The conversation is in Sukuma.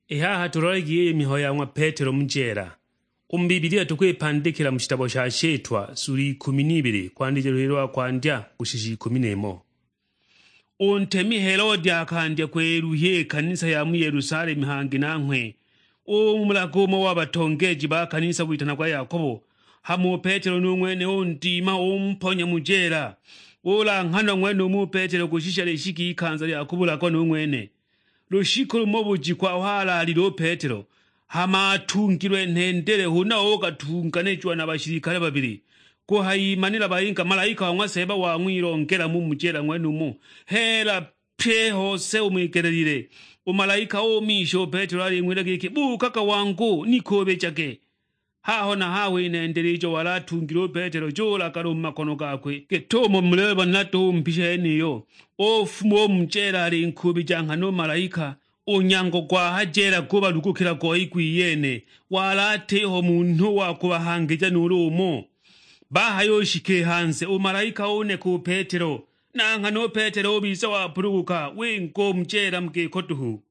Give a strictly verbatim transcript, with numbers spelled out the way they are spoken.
I haha tulolagi iyi mihayo ya ng'wa Petelo mu jeela. U mu Bibilia tukwipandikila mu shitabo sha Shitwa sulu ikumi n'ibili, kwandija luhili lwa kwandya kushisha ikumi n'imo. U ntemi Helode akandya kweluhya i kanisa ya mu Yelusalemu hangi nanghwe umulaga umo wa batongeeji ba kanisa witanagwa Yakobo. Hama u Petelo nu ng'wene undima, umponya mu jeela. Ulanghanwa ng'wenumo u Petelo kushisha lishika ikanza lya kubulagwa nu ng'wene. Lushiku lumo bujiku aho alaalile u Petelo, hama atungilwe nhendele, huna ugatunganijiwa na bashilikale babili. Kuhayimanila bayinga malaika wa ng'wa Seeba wang'wilongela mu mujela ng'wenumo, heela pye hose umwigelelile. U malaika umisha u Petelo aling'wila giki, "Buukaga wangu, nikuubijage!" Haho na haho i nendele ijo wali atungile u Petelo julagala u mu makono gakwe, git'umo mulibona duhu mpisha yeniyo. Ufuma u mu jeela alinkuubija nghana u malaika. U nyango gwa ha jeela gubalugukila goi gwiyene, wali atiho munhu wa kubahangija nuulu umo. Bahayushika i hanze, u malaika uneka u Petelo, na nghana u Petelo ubiza wapuluguka, winga u mu jeela mu giko duhu.